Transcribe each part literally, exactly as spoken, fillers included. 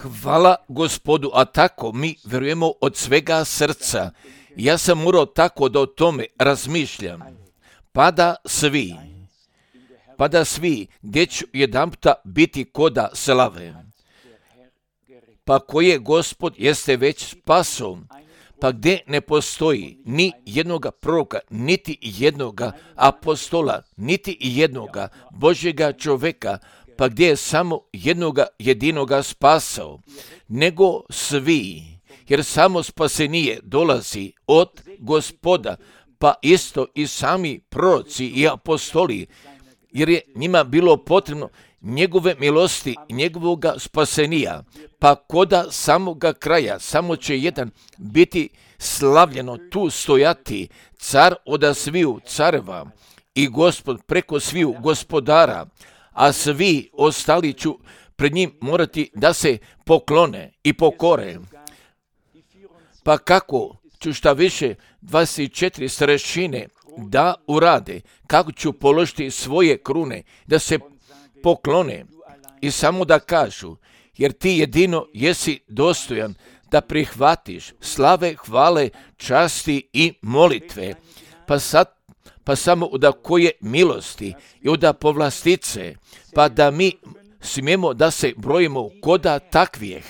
Hvala Gospodu, a tako mi vjerujemo od svega srca. Ja sam morao tako da o tome razmišljam. Pa da svi, pa da svi, gdje ću jedanputa biti koda slave. Pa koje Gospod jeste već spaso, pa gdje ne postoji ni jednoga proroka, niti jednoga apostola, niti jednoga Božjega čovjeka, pa gdje je samo jednoga jedinoga spasao, nego svi, jer samo spasenije dolazi od Gospoda, pa isto i sami proroci i apostoli, jer je njima bilo potrebno njegove milosti, njegovoga spasenija, pa koda samoga kraja, samo će jedan biti slavljeno tu stojati, car oda sviju careva i Gospod preko sviju gospodara, a svi ostali ću pred njim morati da se poklone i pokore. Pa kako ću šta više dvadeset četiri starešine da urade, kako ću položiti svoje krune, da se poklone i samo da kažu, jer ti jedino jesi dostojan da prihvatiš slave, hvale, časti i molitve. Pa sad pa samo od koje milosti i od povlastice, pa da mi smijemo da se brojimo koda takvijeh.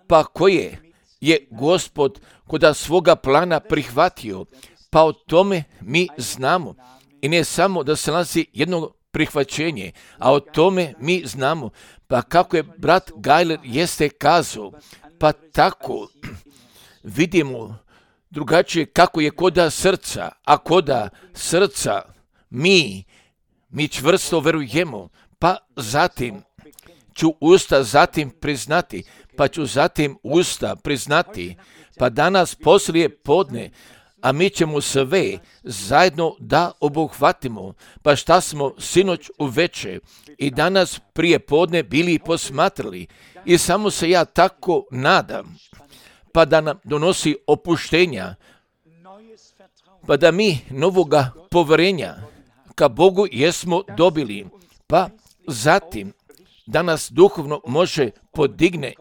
Pa koje je Gospod koda svoga plana prihvatio, pa o tome mi znamo. I ne samo da se nalazi jedno prihvaćenje, a o tome mi znamo. Pa kako je brat Gajler jeste kazao, pa tako vidimo drugačije kako je koda srca, a koda srca mi, mi čvrsto verujemo, pa zatim ću usta zatim priznati, pa ću zatim usta priznati, pa danas poslije podne, a mi ćemo sve zajedno da obuhvatimo, pa šta smo sinoć uveče i danas prije podne bili posmatrali i samo se ja tako nadam, pa da nam donosi opuštenja, pa da mi novoga povjerenja ka Bogu jesmo dobili, pa zatim da nas duhovno može podigne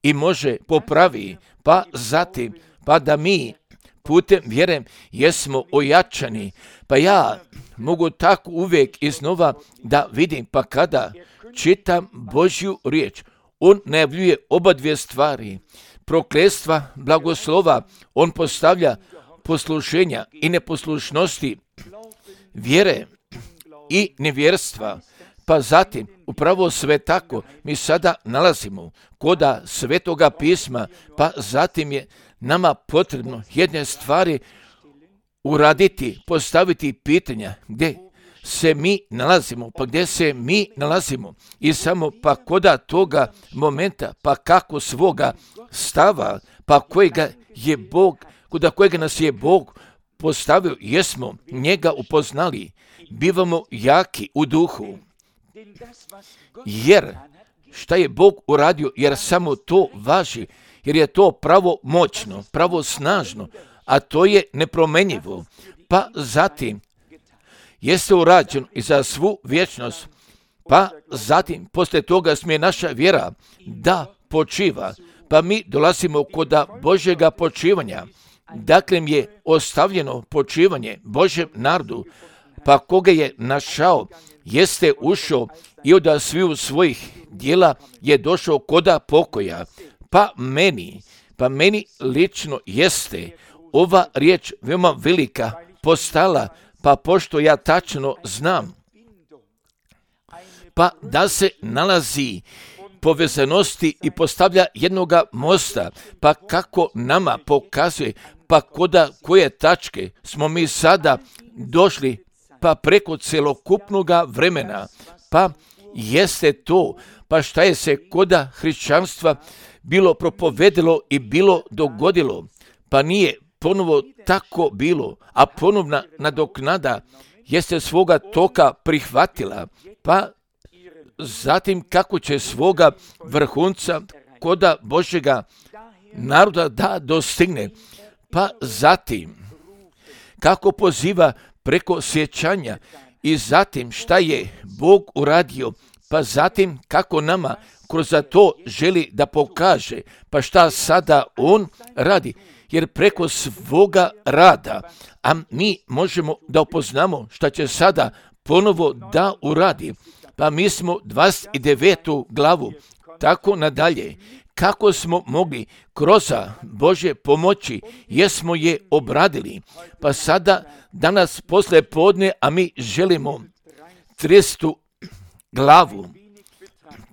i može popravi, pa zatim pa da mi putem vjere jesmo ojačani, pa ja mogu tako uvijek iznova da vidim, pa kada čitam Božju riječ, on najavljuje oba dvije stvari, prokletstva, blagoslova, on postavlja poslušenja i neposlušnosti, vjere i nevjerstva, pa zatim upravo sve tako mi sada nalazimo koda Svetoga pisma, pa zatim je nama potrebno jedne stvari uraditi, postaviti pitanja gdje se mi nalazimo, pa gdje se mi nalazimo i samo pa koda toga momenta, pa kako svoga stava, pa kojega je Bog, koda kojega nas je Bog postavio, jesmo njega upoznali, bivamo jaki u duhu, jer šta je Bog uradio, jer samo to važi, jer je to pravo moćno, pravo snažno, a to je nepromenjivo, pa zatim jeste urađeno i za svu vječnost, pa zatim poslije toga smije naša vjera da počiva, pa mi dolazimo kod Božjega počivanja, dakle mi je ostavljeno počivanje Božjem narodu, pa koga je našao, jeste ušao i od sviju svojih djela je došao koda pokoja, pa meni, pa meni lično jeste ova riječ veoma velika postala, pa pošto ja tačno znam, pa da se nalazi povezanosti i postavlja jednoga mosta, pa kako nama pokazuje, pa koda koje tačke smo mi sada došli, pa preko celokupnoga vremena, pa jeste to, pa šta je se koda hrišćanstva bilo propovedilo i bilo dogodilo, pa nije ponovo tako bilo, a ponovna nadoknada jeste svoga toka prihvatila, pa zatim kako će svoga vrhunca koda Božjega naroda da dostigne, pa zatim kako poziva preko sjećanja I zatim šta je Bog uradio, pa zatim kako nama kroz to želi da pokaže, pa šta sada On radi. Jer preko svoga rada, a mi možemo da upoznamo šta će sada ponovo da uradi. Pa mi smo dvadeset devetu glavu, tako nadalje. Kako smo mogli kroz Božje pomoći, jesmo je obradili. Pa sada, danas posle podne, a mi želimo tridesetu glavu,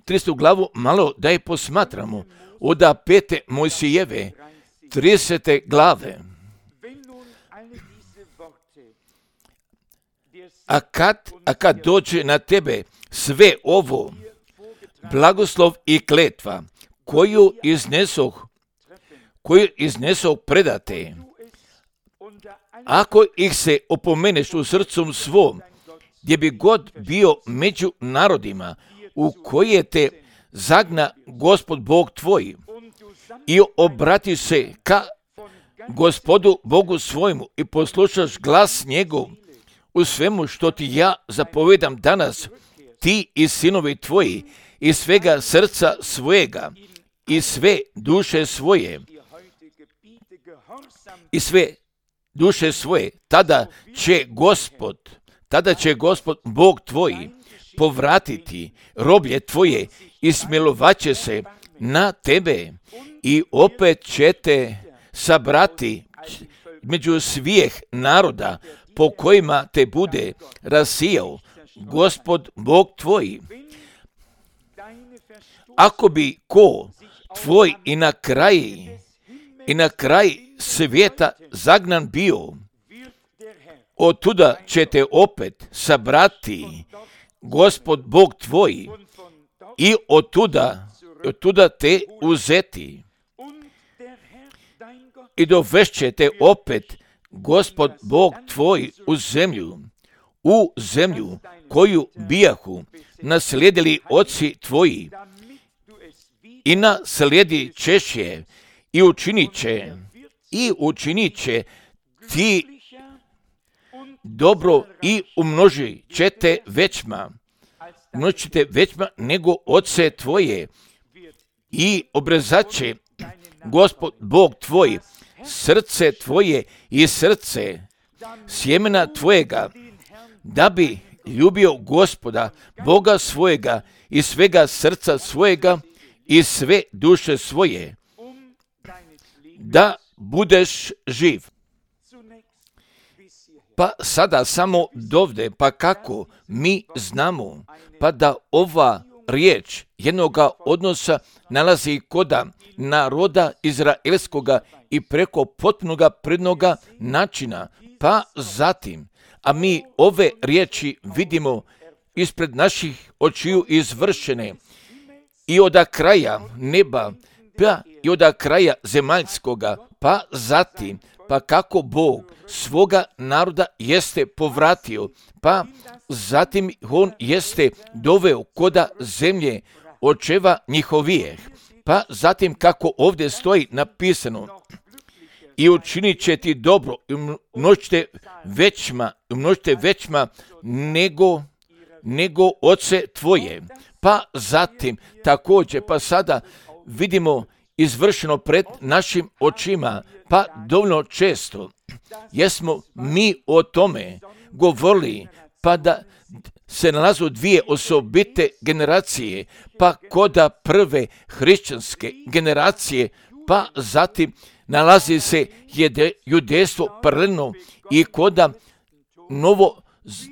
tridesetu glavu malo da je posmatramo. Od pete Mojsijeve, tridesete glave. A kad, a kad dođe na tebe sve ovo, blagoslov i kletva, koju iznesoh, koju iznesoh predate, ako ih se opomeneš u srcom svom, gdje bi god bio među narodima, u koje te zagna Gospod Bog tvoj, i obrati se ka Gospodu Bogu svojmu i poslušaš glas njegov u svemu što ti ja zapovedam danas, ti i sinovi tvoji, iz svega srca svojega, i sve duše svoje, i sve duše svoje, tada će Gospod, tada će Gospod Bog tvoj povratiti roblje tvoje i smilovaće se na tebe i opet će te sabrati među svih naroda po kojima te bude rasijao Gospod Bog tvoj. Ako bi ko tvoj i na kraj i na kraj svijeta zagnan bio, od tuda će te opet sabrati Gospod Bog tvoj i od tuda, od tuda te uzeti i dovešće te opet Gospod Bog tvoj u zemlju, u zemlju koju bijahu naslijedili oci tvoji, i naslijedi ćeš je i učinit će, i učinit će ti dobro i umnoži ćete većma, umnožite većma nego oce tvoje, i obrezat će Gospod Bog tvoj srce tvoje i srce sjemena tvojega, da bi ljubio Gospoda Boga svojega i svega srca svojega i sve duše svoje, da budeš živ. Pa sada samo dovde, pa kako mi znamo, pa da ova riječ jednoga odnosa nalazi koda naroda izraelskoga i preko potpunoga prednoga načina, pa zatim, a mi ove riječi vidimo ispred naših očiju izvršene i od kraja neba, pa i od kraja zemaljskoga, pa zatim, pa kako Bog svoga naroda jeste povratio, pa zatim on jeste doveo koda zemlje očeva njihovijeh, pa zatim kako ovdje stoji napisano, i učinit će ti dobro, i umnožite većma, umnožite većma nego, nego oce tvoje. Pa zatim također, pa sada vidimo izvršeno pred našim očima, pa dovoljno često jesmo mi o tome govorili, pa da se nalazu dvije osobite generacije, pa koda prve hrišćanske generacije, pa zatim nalazi se jede, judejstvo paralelno i koda novo,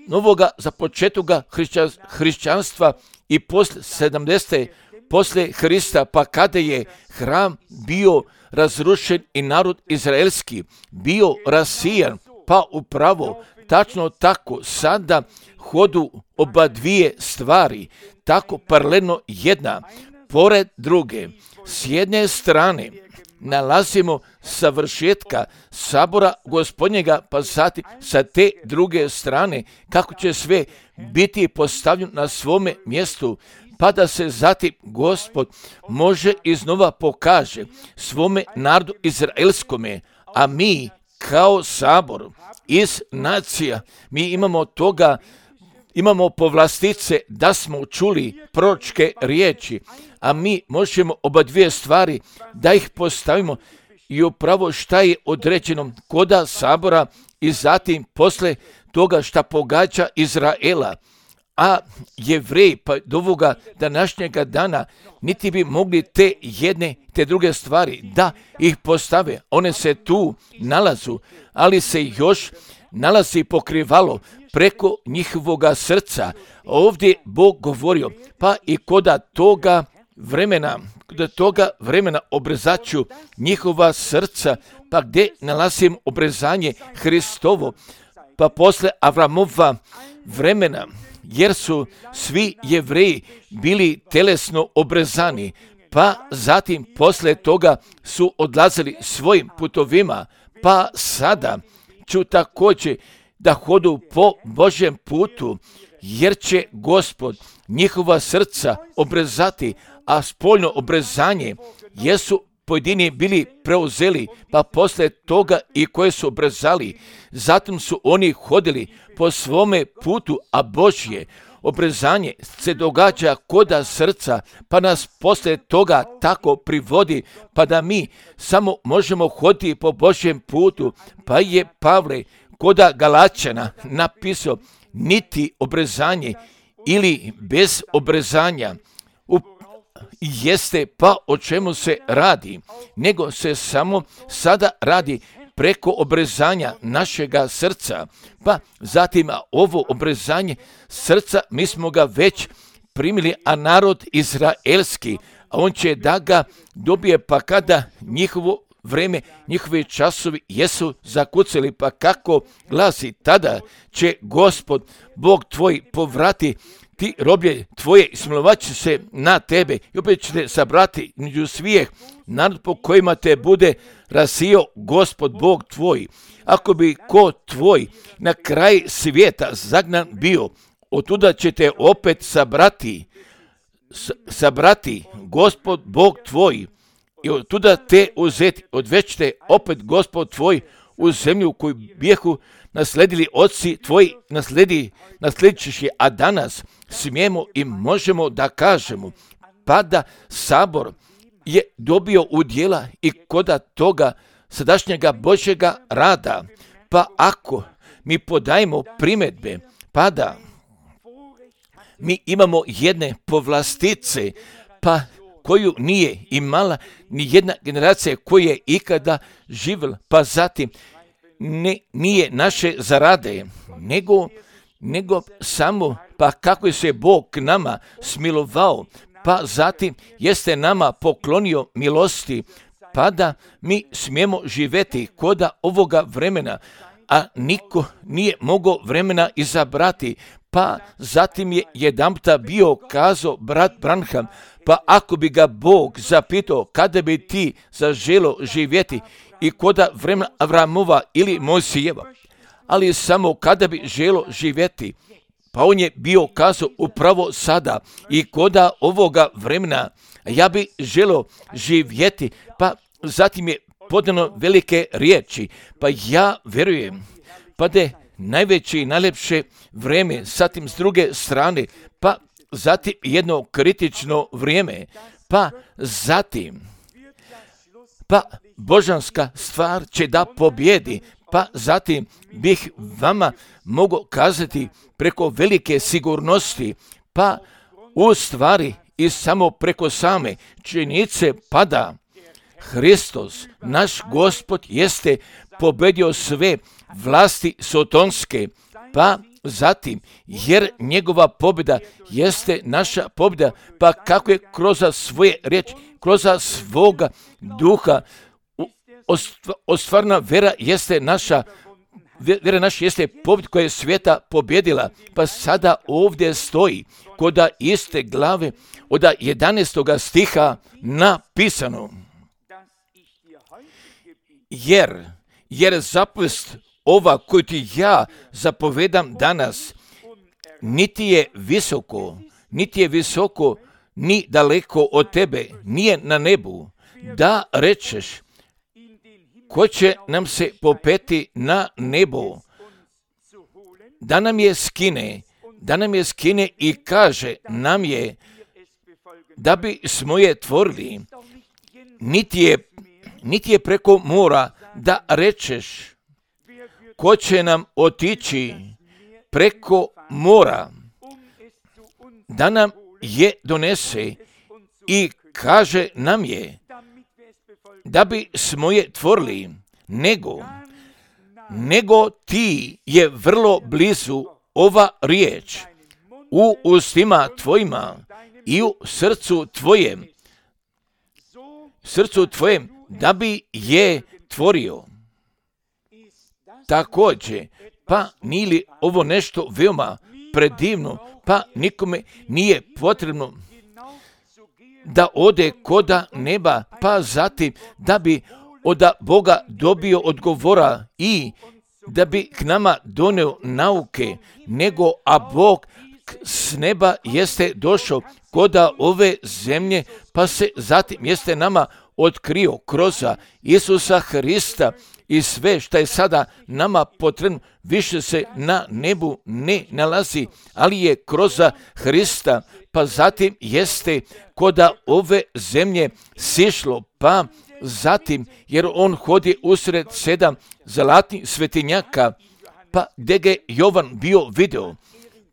novoga započetoga hrišćan, hrišćanstva i posle sedamdesete posle Hrista, pa kada je hram bio razrušen i narod izraelski bio rasijan, pa upravo tačno tako sada hodu oba dvije stvari, tako paralelno jedna pored druge. S jedne strane nalazimo savršetka sabora Gospodnjega, pa zatim sa te druge strane kako će sve biti postavljeno na svome mjestu, pa da se zatim Gospod može iznova pokaže svome narodu izraelskome, a mi kao sabor iz nacija, mi imamo toga imamo povlastice da smo čuli proročke riječi, a mi možemo oba dvije stvari da ih postavimo i upravo šta je određeno koda sabora i zatim posle toga šta pogađa Izraela. A Jevreji pa do ovoga današnjega dana niti bi mogli te jedne, te druge stvari da ih postave. One se tu nalazu, ali se još nalazi pokrivalo preko njihovoga srca. Ovdje Bog govorio, pa i koda toga vremena, koda toga vremena obrezaću njihova srca, pa gdje nalazim obrezanje Hristovo, pa posle Avramova vremena, jer su svi Jevreji bili telesno obrezani, pa zatim posle toga su odlazili svojim putovima, pa sada ću također da hodu po Božjem putu, jer će Gospod njihova srca obrezati, a spoljno obrezanje jesu pojedini bili preuzeli, pa posle toga i koje su obrezali. Zatim su oni hodili po svome putu, a Božje obrezanje se događa koda srca, pa nas posle toga tako privodi, pa da mi samo možemo hoditi po Božjem putu. Pa je Pavle koda Galačana napisao, niti obrezanje ili bez obrezanja u jeste pa o čemu se radi, nego se samo sada radi preko obrezanja našega srca. Pa zatim ovo obrezanje srca mi smo ga već primili, a narod izraelski, a on će da ga dobije pa kada njihovo vreme, njihovi časovi jesu zakucali, pa kako glasi, tada će Gospod Bog tvoj povrati ti roblje tvoje i smilovat će se na tebe i opet će te sabrati među svijeh narod po kojima te bude rasio Gospod Bog tvoj. Ako bi ko tvoj na kraj svijeta zagnan bio, otuda će te opet sabrati, sabrati Gospod Bog tvoj i otuda te uzeti, odvećete opet Gospod tvoj u zemlju koju bijehu nasledili oci tvoji, nasledi, nasledit ćeš je, a danas smijemo i možemo da kažemo, pa da sabor je dobio udjela i koda toga sadašnjega Božjega rada, pa ako mi podajemo primjedbe, pa da mi imamo jedne povlastice, pa koju nije imala ni jedna generacija koja je ikada živjela, pa zatim ne, nije naše zarade, nego, nego samo pa kako je se Bog k nama smilovao, pa zatim jeste nama poklonio milosti, pa da mi smijemo živjeti koda ovoga vremena, a niko nije mogao vremena izabrati. Pa zatim je jedanputa bio kazao brat Branham, pa ako bi ga Bog zapitao kada bi ti zaželo živjeti i koda vremena Avramova ili Mojsijeva, ali samo kada bi želo živjeti, pa on je bio kazao upravo sada i koda ovoga vremena ja bi želo živjeti, pa zatim je podano velike riječi, pa ja vjerujem, pa da je najveće i najlepše vrijeme, zatim s druge strane, pa zatim jedno kritično vrijeme, pa zatim, pa božanska stvar će da pobjedi, pa zatim bih vama mogao kazati preko velike sigurnosti, pa u stvari i samo preko same činjenice pada Hristos, naš Gospod, jeste pobedio sve vlasti sotonske, pa zatim, jer njegova pobjeda jeste naša pobjeda, pa kako je kroz svoje riječi, kroz svoga duha, ostvarna vera jeste naša, vera naša jeste pobjeda koja je svijeta pobjedila, pa sada ovdje stoji koda iste glave od jedanaestoga stiha napisano. Jer, jer zapovest ova koju ti ja zapovedam danas, niti je visoko, niti je visoko, ni daleko od tebe, nije na nebu, da rečeš, ko će nam se popeti na nebo, da nam je skine, da nam je skine i kaže nam je da bi smo je tvorili. Niti je, niti je preko mora da rečeš ko će nam otići preko mora, da nam je donese i kaže nam je da bi smo je tvorili, nego, nego ti je vrlo blizu ova riječ u ustima tvojima i u srcu tvojem, srcu tvojem, da bi je tvorio. Također, pa nije li ovo nešto veoma predivno, pa nikome nije potrebno da ode koda neba, pa zatim da bi od Boga dobio odgovora i da bi k nama doneo nauke, nego a Bog s neba jeste došao koda ove zemlje, pa se zatim jeste nama otkrio kroz Isusa Hrista i sve što je sada nama potrebno više se na nebu ne nalazi, ali je kroz Hrista, pa zatim jeste koda ove zemlje sišlo, pa zatim jer on hodi usred sedam zlatnih svetinjaka, pa gdje ga je Jovan bio video.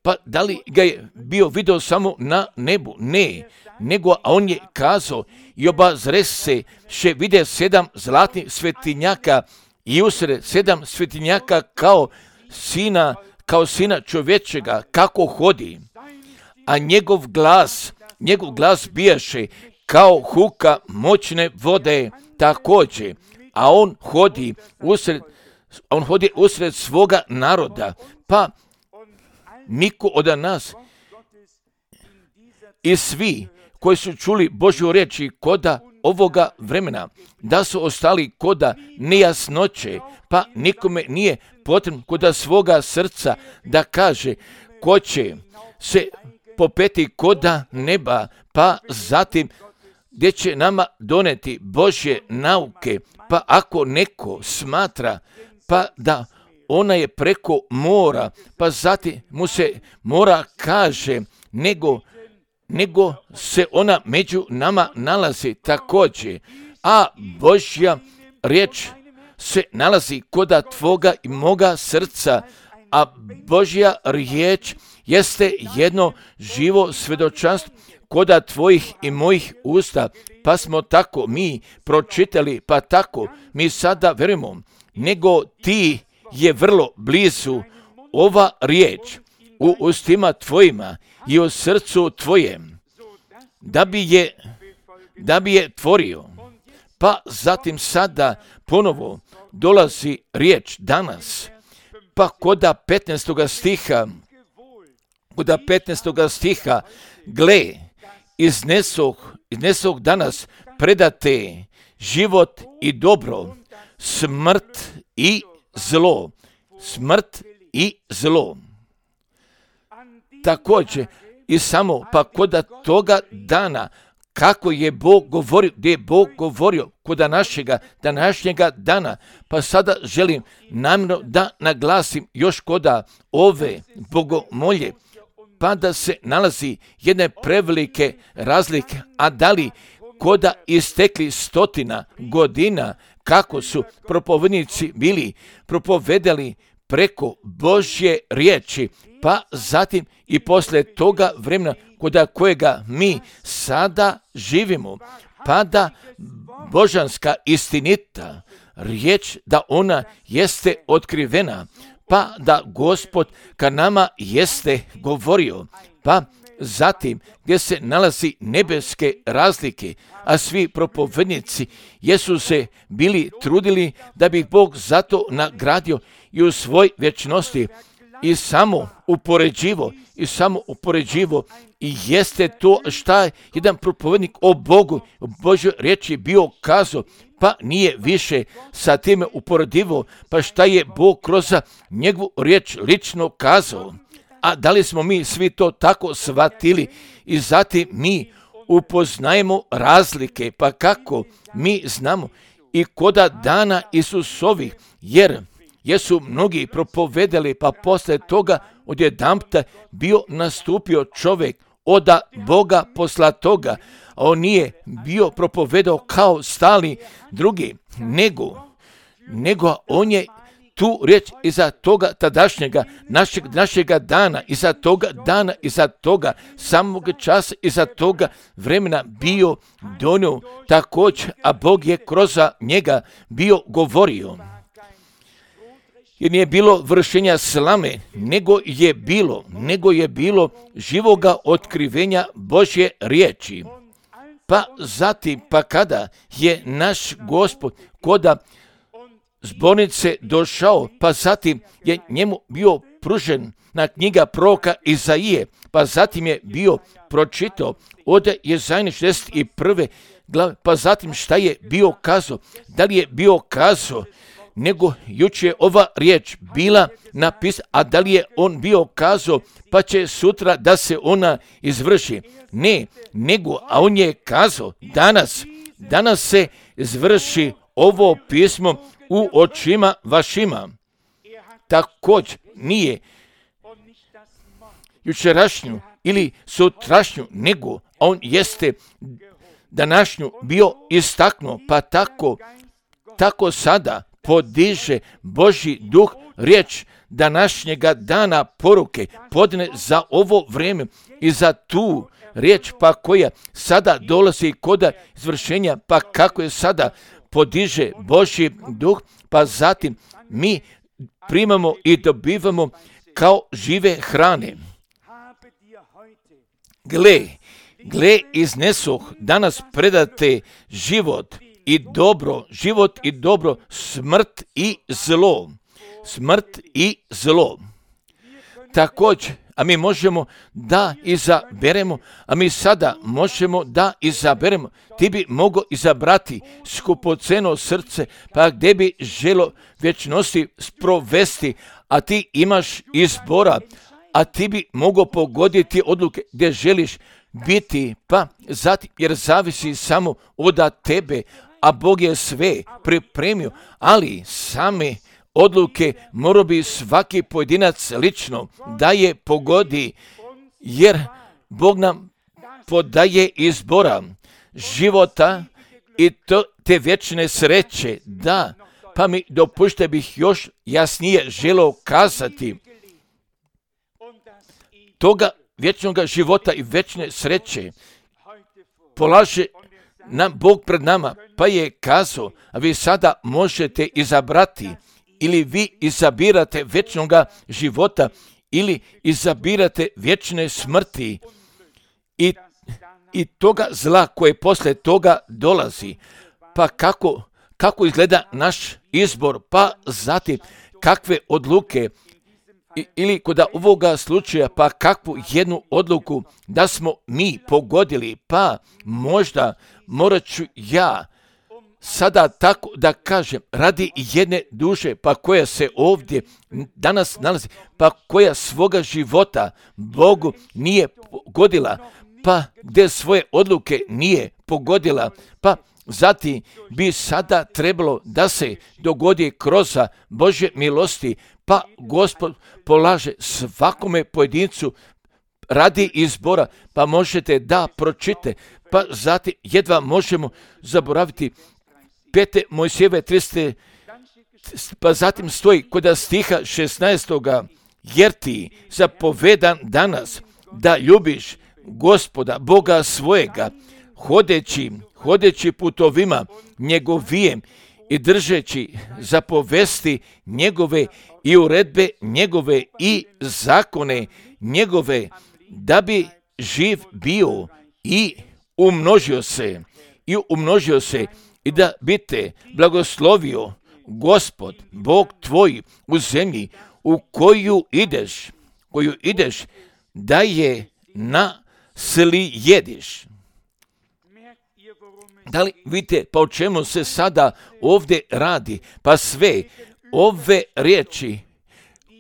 Pa da li ga je bio video samo na nebu? Ne, nego a on je kazao i obazre se še vide sedam zlatnih svetinjaka i usred sedam svetinjaka kao sina, kao sina čovječega, kako hodi. A njegov glas, njegov glas bijaše kao huka moćne vode također, a on hodi usred, on hodi usred svoga naroda, pa niko od nas i svi koji su čuli Božju riječ koda ovoga vremena, da su ostali koda nejasnoće, pa nikome nije potrebno koda svoga srca da kaže ko će se popeti koda neba, pa zatim gdje će nama doneti Božje nauke, pa ako neko smatra pa da ona je preko mora, pa zatim mu se mora kaže, nego, nego se ona među nama nalazi također, a Božja riječ se nalazi koda tvoga i moga srca, a Božja riječ jeste jedno živo svjedočanstvo koda tvojih i mojih usta, pa smo tako mi pročitali, pa tako mi sada verujemo, nego ti je vrlo blizu ova riječ u ustima tvojima i u srcu tvojem, da bi je, da bi je tvorio. Pa zatim sada ponovo dolazi riječ danas, pa koda petnaestoga stiha, koda petnaestoga stiha, gle, iznesog, iznesog danas predate život i dobro, smrt i zlo, smrt i zlo. Također i samo pa koda toga dana, kako je Bog govorio, gdje je Bog govorio koda našega današnjega dana, pa sada želim namjerno da naglasim još koda ove bogomolje, pa da se nalazi jedne prevelike razlike, a da li koda istekli stotina godina, kako su propovednici bili propovedali preko Božje riječi, pa zatim i poslije toga vremena koda kojega mi sada živimo, pa da božanska istinita riječ da ona jeste otkrivena, pa da Gospod ka nama jeste govorio, pa zatim gdje se nalazi nebeske razlike, a svi propovednici jesu se bili trudili da bi Bog zato nagradio i u svoj vječnosti i samo upoređivo i samo upoređivo i jeste to šta je jedan propovednik o Bogu, o Božoj riječi bio kazao, pa nije više sa time uporedivo, pa šta je Bog kroz njegovu riječ lično kazao. A da li smo mi svi to tako shvatili i zatim mi upoznajemo razlike, pa kako mi znamo i koda dana Isusovih, jer jesu mnogi propovedali, pa posle toga odjedanputa bio nastupio čovjek od Boga posla toga, a on nije bio propovedao kao stali drugi, nego, nego on je tu riječ iza toga tadašnjega našeg, našega dana, iza toga dana, iza toga samog časa, iza toga vremena bio donio također, a Bog je kroz njega bio govorio. Jer nije bilo vršenja slame, nego je bilo, nego je bilo živoga otkrivenja Božje riječi. Pa zatim, pa kada je naš Gospod koda zbornice došao, pa zatim je njemu bio pružen na knjiga proroka Izaije, pa zatim je bio pročitao od Jezajne šezdeset prve glave, pa zatim šta je bio kazao, da li je bio kazao, nego juče je ova riječ bila napisana, a da li je on bio kazao, pa će sutra da se ona izvrši. Ne, nego, a on je kazao, danas, danas se izvrši ovo pismo u očima vašima. Također nije jučerašnju ili sutrašnju, nego on jeste današnju bio istaknuo, pa tako, tako sada podiže Božji duh riječ današnjega dana poruke podne za ovo vrijeme i za tu riječ pa koja sada dolazi kod izvršenja, pa kako je sada podiže Božji duh, pa zatim mi primamo i dobivamo kao žive hrane. Gle, gle iznesoh danas predate život i dobro, život i dobro, smrt i zlo. Smrt i zlo. Također, a mi možemo da izaberemo, a mi sada možemo da izaberemo. Ti bi mogao izabrati skupoceno srce, pa gdje bi želo vječnosti sprovesti, a ti imaš izbora, a ti bi mogao pogoditi odluke gdje želiš biti, pa zatim, jer zavisi samo od tebe, a Bog je sve pripremio, ali same odluke mora bi svaki pojedinac lično da je pogodi, jer Bog nam podaje izbora života i to, te vječne sreće, da, pa mi dopušte bih još jasnije želeo kazati toga vječnog života i vječne sreće polaže nam Bog pred nama, pa je kazao, a vi sada možete izabrati ili vi izabirate vječnog života ili izabirate vječne smrti i, i toga zla koje posle toga dolazi. Pa kako, kako izgleda naš izbor, pa zatim kakve odluke I, ili kod ovoga slučaja, pa kakvu jednu odluku da smo mi pogodili, pa možda morat ću ja sada tako da kažem, radi jedne duše, pa koja se ovdje danas nalazi, pa koja svoga života Bogu nije pogodila, pa gdje svoje odluke nije pogodila, pa zatim bi sada trebalo da se dogodi kroz Božje milosti, pa Gospod polaže svakome pojedincu radi izbora, pa možete da pročite, pa zatim jedva možemo zaboraviti pete Mojsijeve trideset, pa zatim stoji kod stiha šesnaestoga jer ti zapovedan danas da ljubiš Gospoda, Boga svojega, hodeći, hodeći putovima njegovijem i držeći zapovesti njegove i uredbe njegove i zakone njegove, da bi živ bio i umnožio se, i umnožio se i da bi te blagoslovio Gospod, Bog tvoj u zemlji u koju ideš, koju ideš da je na sli jediš. Da li vidite pa o čemu se sada ovdje radi? Pa sve ove riječi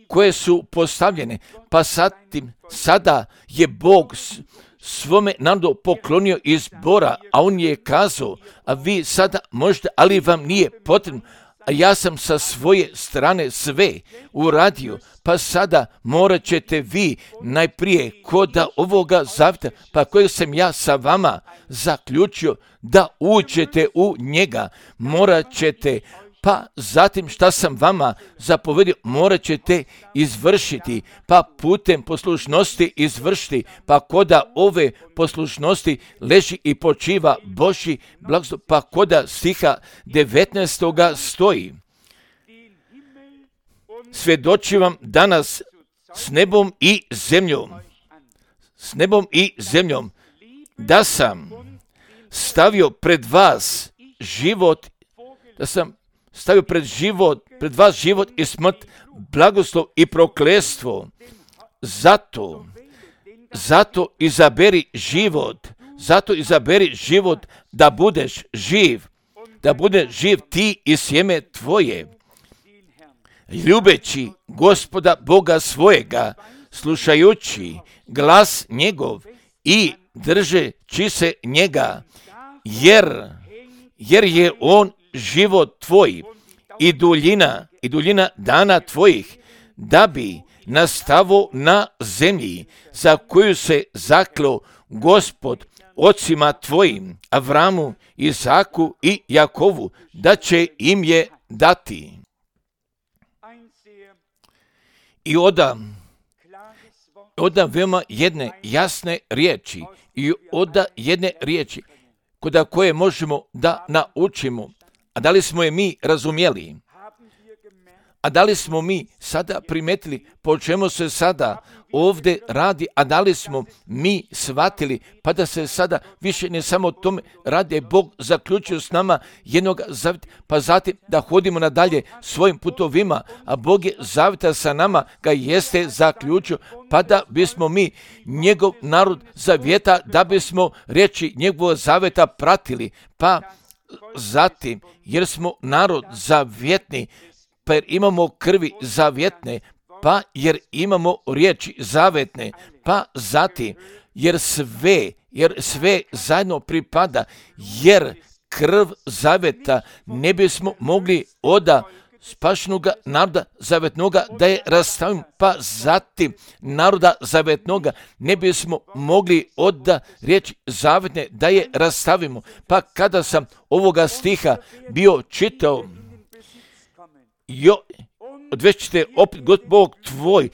koje su postavljene, pa satim, sada je Bog svome narodu poklonio izbora, a on je kazao, a vi sada možete, ali vam nije potrebno, a ja sam sa svoje strane sve uradio, pa sada morat ćete vi najprije kod ovoga zavjeta, pa kojeg sam ja sa vama zaključio da uđete u njega, morat ćete, pa zatim šta sam vama zapovedio, morat ćete izvršiti, pa putem poslušnosti izvršiti, pa koda ove poslušnosti leži i počiva Božji blagoslov, pa koda stiha devetnaestoga stoji. Svjedočim vam danas s nebom i zemljom, s nebom i zemljom, da sam stavio pred vas život, da sam stavio pred život, pred vas život i smrt, blagoslov i prokletstvo. Zato, zato izaberi život, zato izaberi život da budeš živ, da budeš živ ti i sjeme tvoje. Ljubeći Gospoda Boga svojega, slušajući glas njegov i držeći se njega, jer, jer je on život tvoj i duljina, i duljina dana tvojih, da bi nastavo na zemlji za koju se zaklo Gospod ocima tvojim, Avramu, Isaku i Jakovu, da će im je dati. I oda, oda veoma jedne jasne riječi i oda jedne riječi koda koje možemo da naučimo. A da li smo je mi razumjeli? A da li smo mi sada primetili po čemu se sada ovdje radi? A da li smo mi shvatili pa da se sada više ne samo o tome radi, Bog zaključio s nama jednog zavjeta, pa zatim da hodimo nadalje svojim putovima, a Bog je zavjeta sa nama ga jeste zaključio, pa da bismo mi njegov narod zavjeta, da bismo riječi njegovog zavjeta pratili, pa zatim, jer smo narod zavjetni, pa jer imamo krvi zavjetne, pa jer imamo riječi zavetne, pa zatim, jer sve, jer sve zajedno pripada, jer krv zaveta ne bismo mogli oda spašenoga naroda zavetnoga da je rastavimo, pa zatim naroda zavetnoga ne bismo mogli oda riječi zavetne da je rastavimo. Pa kada sam ovoga stiha bio čitao, jo, odvest ćete opet God Bog tvoj,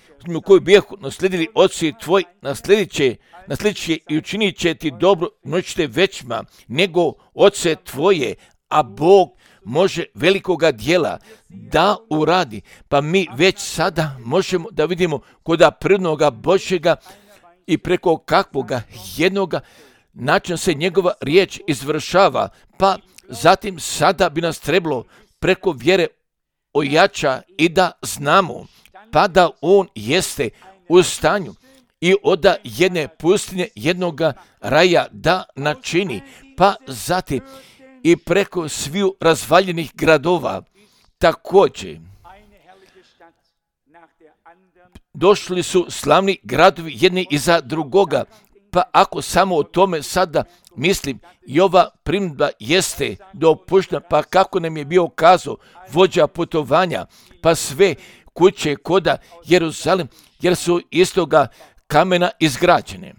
koji bijehu nasledili oci tvoj, nasledit će, nasledit će i učinit će ti dobro, noćete većma nego oce tvoje, a Bog može velikoga dijela da uradi. Pa mi već sada možemo da vidimo koda prirodnoga Božjega i preko kakvoga jednoga načina se njegova riječ izvršava, pa zatim sada bi nas trebalo preko vjere ojača i da znamo, pa da on jeste u stanju i oda jedne pustinje jednoga raja da načini, pa zatim i preko sviju razvaljenih gradova također. Došli su slavni gradovi jedni iza drugoga, pa ako samo o tome sada mislim, i ova primjedba jeste dopuštena, pa kako nam je bio kazao vođa putovanja, pa sve kuće koda Jeruzalem, jer su istoga kamena izgrađene.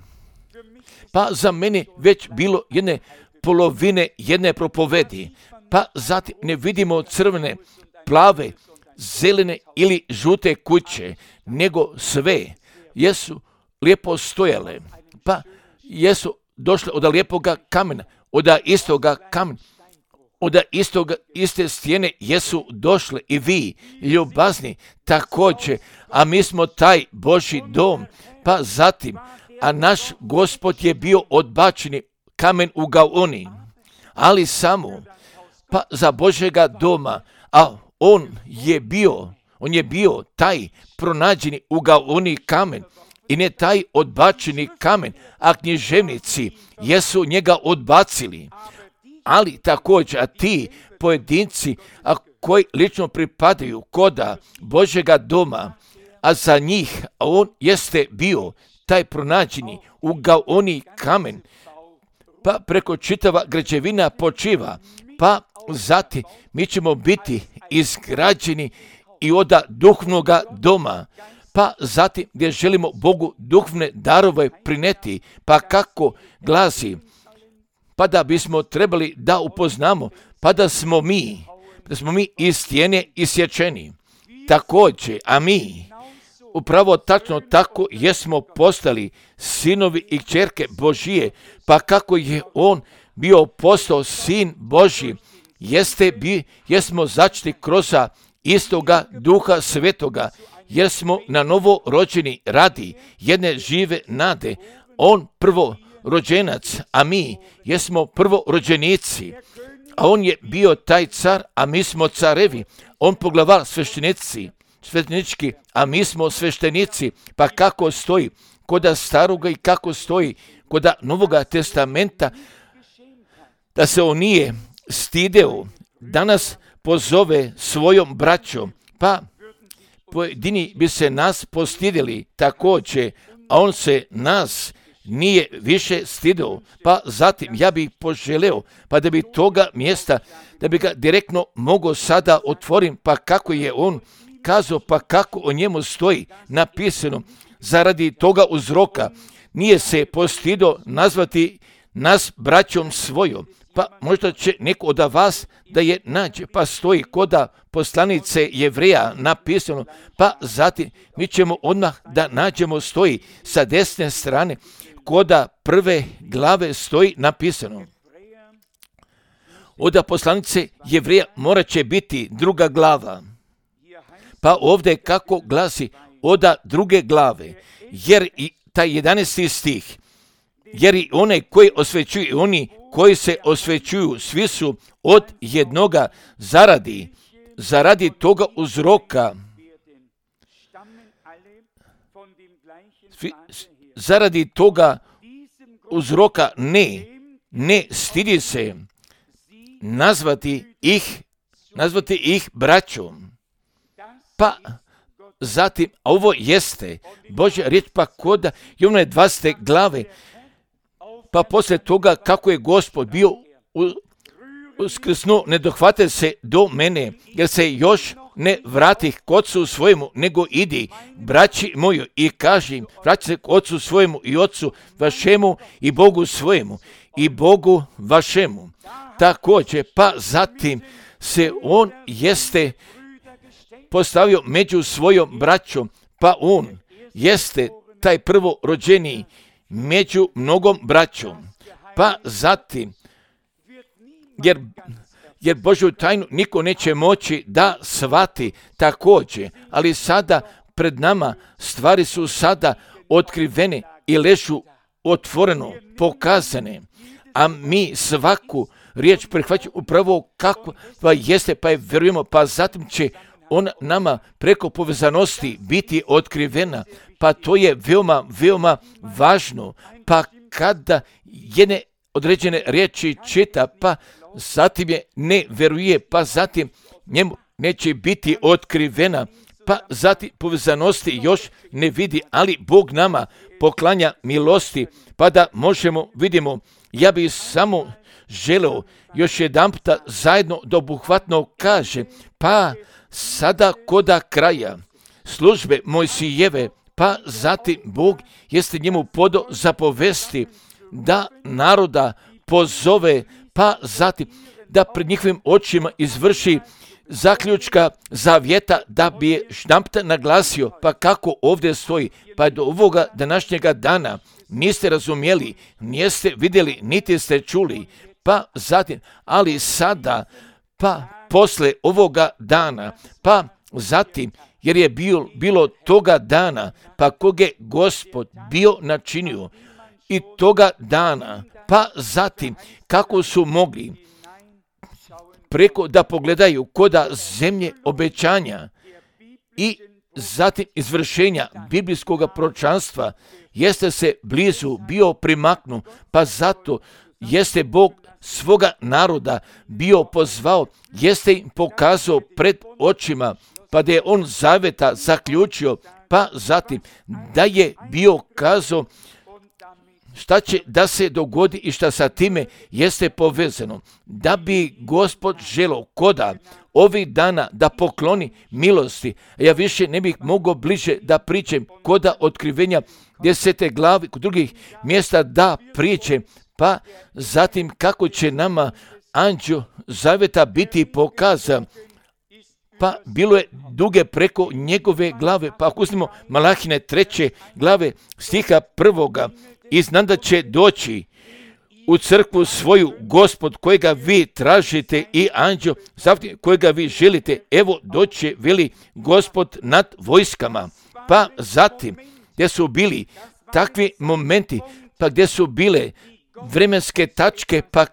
Pa za mene već bilo jedne polovine jedne propovedi, pa zatim ne vidimo crvene, plave, zelene ili žute kuće, nego sve jesu lijepo stojale, pa jesu došle od lijepoga kamena, od istoga kamena, od istoga, iste stijene jesu došle i vi, ljubazni, također, a mi smo taj Božji dom, pa zatim, a naš Gospod je bio odbačeni kamen u Gaoni, ali samo, pa za Božjega doma, a on je bio, on je bio taj pronađeni u Gaoni kamen, i ne taj odbačeni kamen, a književnici jesu njega odbacili. Ali također, a ti pojedinci, a koji lično pripadaju koda Božjega doma, a za njih, a on jeste bio taj pronađeni u Gaoni kamen, pa preko čitava građevina počiva, pa zatim mi ćemo biti izgrađeni i od duhovnoga doma, pa zatim gdje želimo Bogu duhovne darove prineti, pa kako glasi, pa da bismo trebali da upoznamo, pa da smo mi, da smo mi iz stijene isječeni. Također, a mi, upravo tačno tako jesmo postali sinovi i kćerke Božije, pa kako je on bio postao sin Božji, jeste bi, jesmo začeti kroz istoga Duha Svetoga, jer smo na novo rođeni radi jedne žive nade. On prvo rođenac, a mi jesmo prvo rođenici. A on je bio taj car, a mi smo carevi. On poglavar sveštenici, sveštenički, a mi smo sveštenici. Pa kako stoji koda staroga i kako stoji koda Novoga testamenta, da se on nije stideo, danas pozove svojom braćom, pa pojedini bi se nas postidjeli također, a on se nas nije više stideo. Pa zatim ja bih poželeo, pa da bi toga mjesta, da bi ga direktno mogao sada otvorim, pa kako je on kazao, pa kako o njemu stoji napisano, zaradi toga uzroka nije se postidio nazvati nas braćom svojom. Pa možda će neko od vas da je nađe, pa stoji koda poslanice Jevreja napisano, pa zatim mi ćemo odmah da nađemo stoji sa desne strane, koda prve glave stoji napisano. Od poslanice Jevreja morat će biti druga glava. Pa ovdje kako glasi od druge glave, jer i taj jedanaesti stih, jer i one koji osvećuju, oni koji se osvećuju, svi su od jednoga zaradi, zaradi toga uzroka, svi, zaradi toga uzroka ne, ne stidi se nazvati ih, nazvati ih braćom. Pa zatim, a ovo jeste Božja riječ, pa koda Jovane dvadesete glave, pa poslije toga kako je Gospod bio uskrsnuo, ne dohvate se do mene, jer se još ne vratih k ocu svojemu, nego idi, braći moju, i kaži im, vrati se k ocu svojemu i ocu vašemu i Bogu svojemu i Bogu vašemu. Također, pa zatim se on jeste postavio među svojom braćom, pa on jeste taj prvo rođeni među mnogom braćom. Pa zatim, jer, jer Božju tajnu niko neće moći da shvati također, ali sada pred nama stvari su sada otkrivene i ležu otvoreno, pokazane, a mi svaku riječ prihvaćamo upravo kako pa jeste, pa je vjerujemo, pa zatim će on nama preko povezanosti biti otkrivena, pa to je veoma, veoma važno. Pa kada jedne određene riječi čita, pa zatim je ne veruje, pa zatim njemu neće biti otkrivena, pa zatim povezanosti još ne vidi, ali Bog nama poklanja milosti, pa da možemo, vidimo, ja bih samo želeo još jedan puta zajedno da obuhvatno kaže, pa sada koda kraja službe Mojsijeve, pa zatim Bog jeste njemu podo zapovesti da naroda pozove, pa zatim da pred njihovim očima izvrši zaključka zavjeta, da bi je štampta naglasio, pa kako ovdje stoji, pa do ovoga današnjega dana niste razumjeli, niste vidjeli, niti ste čuli, pa zatim, ali sada, pa posle ovoga dana, pa zatim, jer je bil, bilo toga dana, pa koga je Gospod bio načinio i toga dana, pa zatim, kako su mogli preko da pogledaju koda zemlje obećanja i zatim izvršenja biblijskog proročanstva, jeste se blizu bio primaknu, pa zato jeste Bog svoga naroda bio pozvao, jeste im pokazao pred očima, pa da je on zaveta zaključio, pa zatim da je bio kazao šta će da se dogodi i šta sa time jeste povezano. Da bi Gospod želeo koda ovih dana da pokloni milosti, ja više ne bih mogao bliže da pričam koda otkrivenja desete glave, kod drugih mjesta da pričam, pa zatim kako će nama anđeo zaveta biti pokazan. Pa bilo je duge preko njegove glave, pa ako uzmemo Malahine treće glave stiha prvoga, i znam da će doći u crkvu svoju Gospod kojega vi tražite i anđeo zaveta kojega vi želite, evo doće, veli Gospod nad vojskama. Pa zatim gdje su bili takvi momenti, pa gdje su bile vremenske tačke, pa,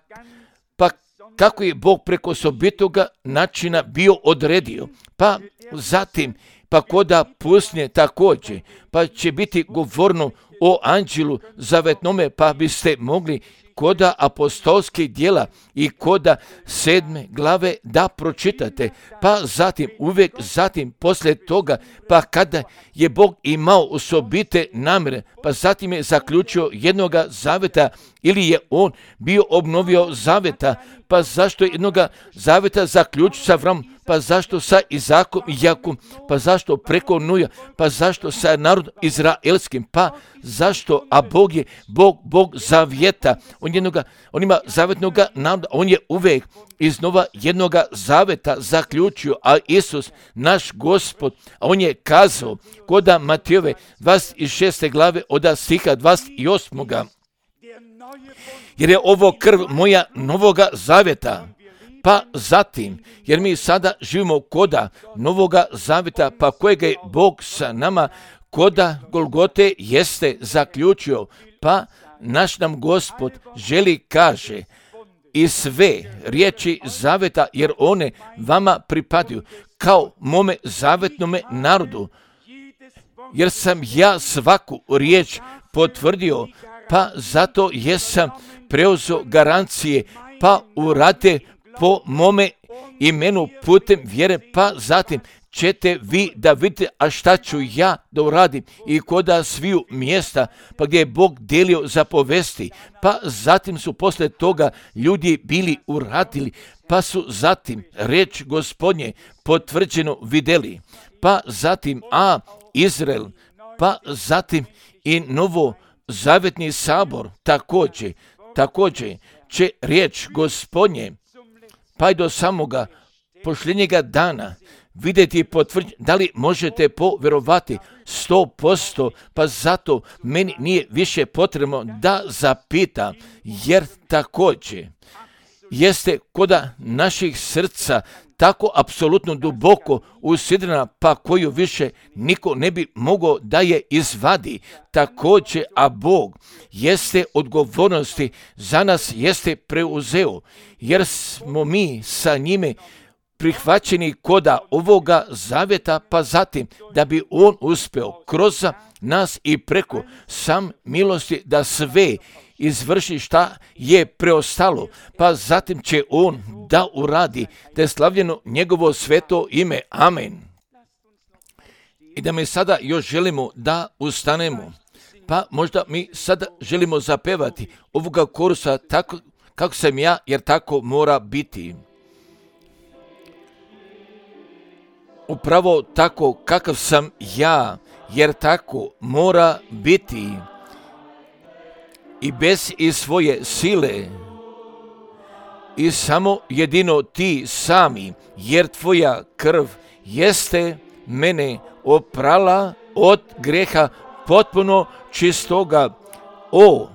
pa kako je Bog preko osobitoga načina bio odredio. Pa zatim, pa koda pusnje također, pa će biti govorno o anđelu zavetnome, pa biste mogli koda apostolskih djela i koda sedme glave da pročitate. Pa zatim, uvijek zatim, poslije toga, pa kada je Bog imao osobite namjere, pa zatim je zaključio jednoga zaveta, ili je on bio obnovio zaveta, pa zašto je jednoga zaveta zaključio sa Avramom, pa zašto sa Izakom i Jakom, pa zašto preko Nuja, pa zašto sa narodom izraelskim, pa zašto, a Bog je Bog, Bog zavjeta, on, jednoga, on ima zavetnoga naroda, on je uvijek iznova jednoga zaveta zaključio, a Isus, naš Gospod, a on je kazao, koda Matejove dvadeset šeste glave od stiha dvadeset osmoga jer je ovo krv moja novoga zaveta. Pa zatim, jer mi sada živimo koda novoga zaveta, pa kojega je Bog sa nama koda Golgote jeste zaključio, pa naš nam Gospod želi kaže i sve riječi zaveta, jer one vama pripadaju kao mome zavetnome narodu, jer sam ja svaku riječ potvrdio, pa zato jesam preuzeo garancije, pa urate po mome imenu putem vjere, pa zatim ćete vi da vidite, a šta ću ja da uradim i koda sviju mjesta, pa gdje je Bog delio zapovesti, pa zatim su posle toga ljudi bili uradili, pa su zatim reč Gospodnje potvrđeno videli, pa zatim a Izrael, pa zatim i novo zavetni sabor također, također će riječ Gospodnje pa i do samoga posljednjega dana vidjeti i potvrditi, da li možete povjerovati sto posto, pa zato meni nije više potrebno da zapita, jer također jeste koda naših srca tako apsolutno duboko usidrena, pa koju više niko ne bi mogao da je izvadi. Također, a Bog jeste odgovornosti za nas jeste preuzeo, jer smo mi sa njime prihvaćeni koda ovoga zavjeta, pa zatim da bi on uspeo kroz nas i preko sam milosti da sve izvrši šta je preostalo, pa zatim će on da uradi, da je slavljeno njegovo sveto ime. Amen. I da mi sada još želimo da ustanemo, pa možda mi sada želimo zapevati ovoga korusa tako kako sam ja, jer tako mora biti. Upravo tako kakav sam ja, jer tako mora biti. I bez i svoje sile, i samo jedino ti sami, jer tvoja krv jeste mene oprala od greha potpuno čistoga. O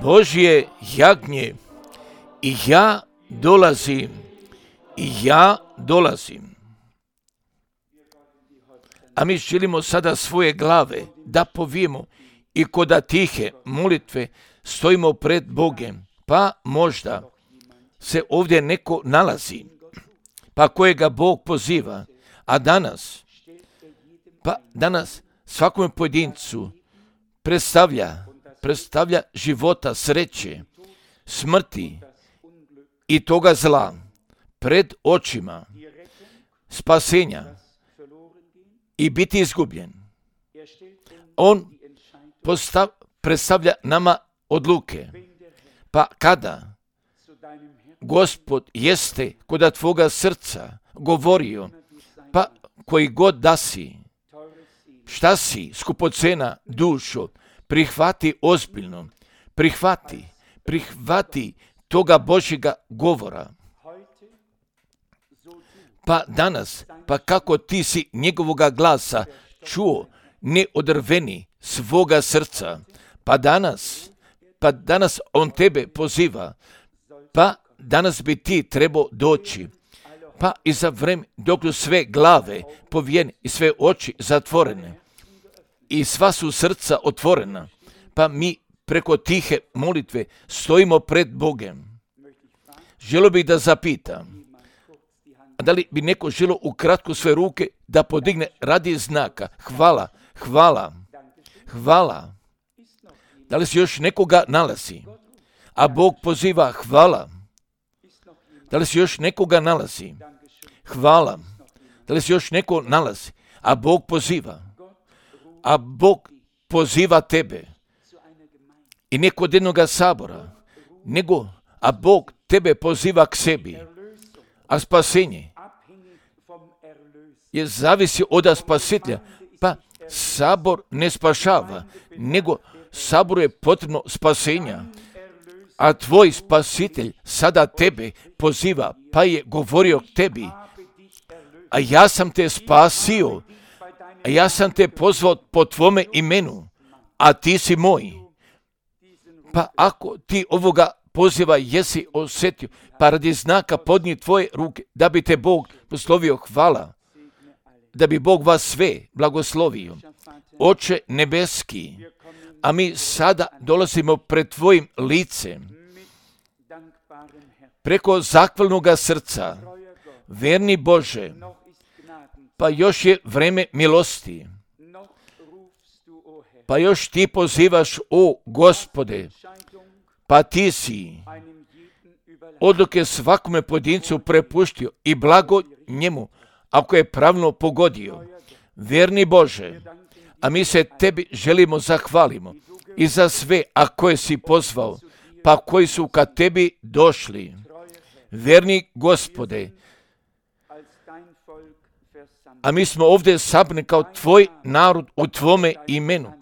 Božje jagnje, i ja dolazim, i ja dolazim. A mi želimo sada svoje glave da povijemo i koda tihe molitve stojimo pred Bogem, pa možda se ovdje neko nalazi, pa kojega Bog poziva, a danas, pa danas svakome pojedincu predstavlja, predstavlja života, sreće, smrti i toga zla pred očima, spasenja i biti izgubljen. On postav, predstavlja nama odluke. Pa kada Gospod jeste kod tvoga srca govorio, pa koji god da si, šta si, skupocena dušo, prihvati ozbiljno, prihvati, prihvati toga Božjega govora. Pa danas, pa kako ti si njegovoga glasa čuo, ne odrveni svoga srca, pa danas, pa danas on tebe poziva, pa danas bi ti trebao doći, pa i za vreme dok su sve glave povijene i sve oči zatvorene i sva su srca otvorena, pa mi preko tihe molitve stojimo pred Bogom. Želio bih da zapitam, a da li bi neko želio ukratko sve ruke da podigne radi znaka? Hvala, hvala, hvala. Da li se još nekoga nalazi? A Bog poziva hvala. Da li se još nekoga nalazi? Hvala. Da li se još neko nalazi? A Bog poziva. A Bog poziva tebe. I ne kod jednoga sabora, nego, a Bog tebe poziva k sebi. A spasenje je zavisi od spasitelja. Pa sabor ne spašava, nego saboru je potrebno spasenja. A tvoj spasitelj sada tebe poziva, pa je govorio k tebi. A ja sam te spasio, a ja sam te pozvao po tvome imenu, a ti si moj. Pa ako ti ovoga poziva jesi osjetio, pa radi znaka podnij tvoje ruke, da bi te Bog poslovio, hvala, da bi Bog vas sve blagoslovio. Oče nebeski, a mi sada dolazimo pred tvojim licem, preko zahvalnoga srca, verni Bože, pa još je vreme milosti, pa još ti pozivaš, o Gospode, pa ti si odluke svakome pojedincu prepuštio i blago njemu, ako je pravilno pogodio. Verni Bože, a mi se tebi želimo zahvalimo i za sve, a koje si pozvao, pa koji su ka tebi došli. Verni Gospode, a mi smo ovdje sabrani kao tvoj narod u tvome imenu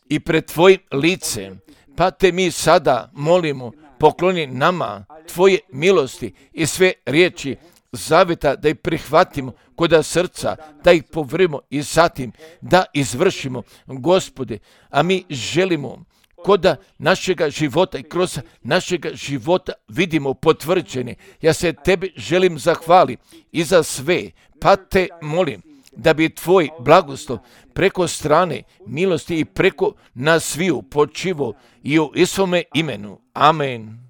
i pred tvojim licem, pa te mi sada molimo, pokloni nama tvoje milosti i sve riječi zavjeta da ih prihvatimo kod srca, da ih povrimo i zatim da izvršimo, Gospode, a mi želimo kod našega života i kroz našega života vidimo potvrđene. Ja se tebi želim zahvaliti i za sve, pa te molim da bi tvoj blagoslov preko strane milosti i preko nas sviju počivo i u Isovome imenu. Amen.